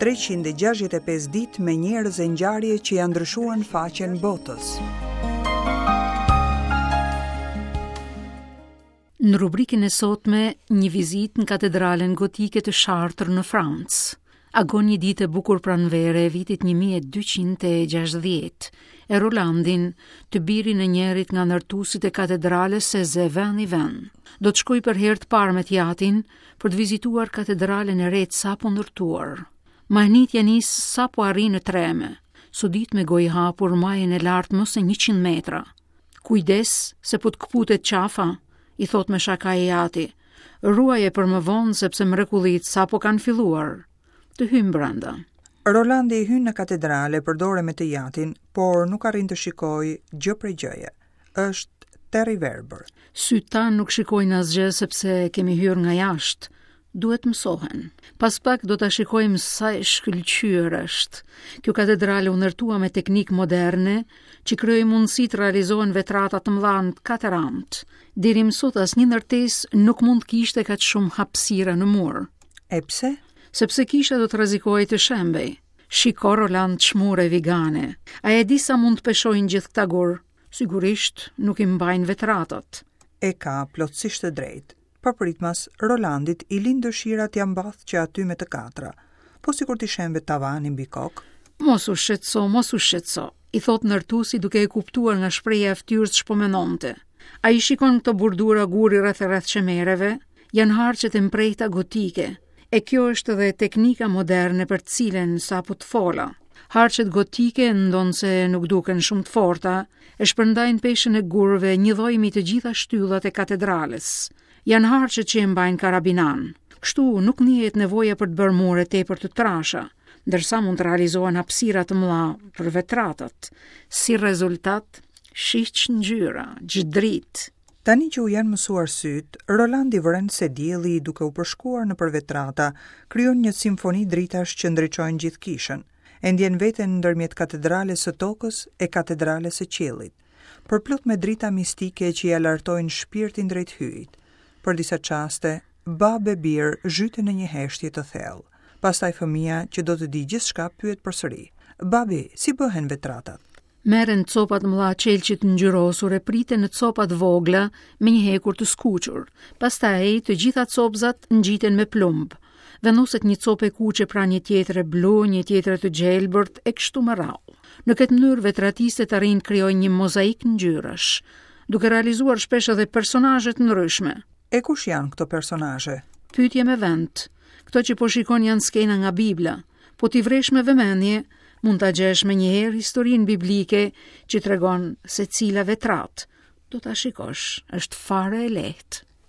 365 ditë me njerëz e ngjarje që ia ndryshuan faqen botës. Në rubrikën e sotme, një vizitë në katedralen gotike të Chartres në Francë. Agon një ditë e bukur pranvere e vitit 1260, e Rolandin, të birin e njërit nga ndërtuesit e katedrales e zë vend i vend. Do të shkojë për herë të parë me të jatin për të vizituar katedralen e re të sapo ndërtuar. Mahnitja nis sapo arrin në treme. Sodit me gojë hapur majën e lartë më se 100 metra. Kujdes se po të këputet qafa, i thotë me shaka i jati. Ruaje për më vonë sepse mrekullitë sapo kanë filluar. Të hyjmë brenda. Rolandi hyn në katedrale për dore me të jatin, por nuk arrin të shikojë gjë prej gjëje. Është terr i verbër. Sytë tanë nuk shikojnë asgjë sepse kemi hyrë nga jashtë. Duhet të mësohen. Pas pak do ta shikojmë sa e shkëlqyer është. Kjo katedrale u ndërtua me teknikë moderne që krijoi mundësi të realizohen vetrata të mëdha në të katër anët. Deri më sot asnjë ndërtesë nuk mund të kishte kaq shumë hapësira në mur. E pse? Sepse kisha do të rrezikohej të shembej. Shiko Roland ç'mure vigane. A e di sa mund të peshojnë gjithë këta gurë? Sigurisht, nuk i mbajnë vetratat. E ka plotësisht të drejtë. Papritmas, Rolandit i lind dëshira t'ia mbathë që aty me të katra. Po sikur t'i shembet tavani mbi kokë? Mos u shqetëso, mos u shqetëso, i thotë ndërtuesi duke e kuptuar nga shprehja e fytyrës ç'po mendonte. A i shikon këto bordura guri rreth e rreth qemereve? Janë harqet e mprehta gotike. E kjo është edhe teknika moderne për të cilën sapo të fola. Harqet gotike, ndonëse nuk duken shumë të forta, e shpërndajnë peshën e gurëve njëlloj mbi të gjitha shtyllat e katedrales. Janë harqet që e mbajnë karabinanë. Kështu nuk ndihet nevoja për të bërë mure tepër të trasha, ndërsa mund të realizohen hapësira të mëdha për vetratat. Si rezultat, shih ç'ngjyra, ç'dritë. Tani që u janë mësuar sytë, Rolandi vëren se dielli duke u përshkuar nëpër vetrata, krijon një simfoni dritash që ndriçojnë gjithë kishën. E ndjen veten ndërmjet katedrales së tokës e katedrales së qiellit, përplot me drita mistike që ia lartojnë shpirtin drejt Hyjit. Për disa çaste, babë e bir zhyten në një heshtje të thellë. Pastaj fëmija që do të dijë gjithçka pyet përsëri: Babi, si bëhen vetratat? Merren copa të mëdha qelqi të ngjyrosur e priten në copa të vogla me një hekur të skuqur. Pastaj të gjitha copëzat ngjiten me plumb. Vendoset një copë e kuqe pranë një tjetre blu, një tjetre të gjelbërt e kështu me radhë. Në këtë mënyrë vetratistët arrijnë të krijojnë një mozaik ngjyrash, duke realizuar shpesh edhe personazhe të ndryshme. E kush janë këto personazhe? Pyetje me vend. Këto që po shikon janë skena nga Bibla. Po t'i vëresh me vëmendje, mund ta gjesh menjëherë historinë biblike që tregon secila vetratë. Do ta shikosh, është fare e lehtë.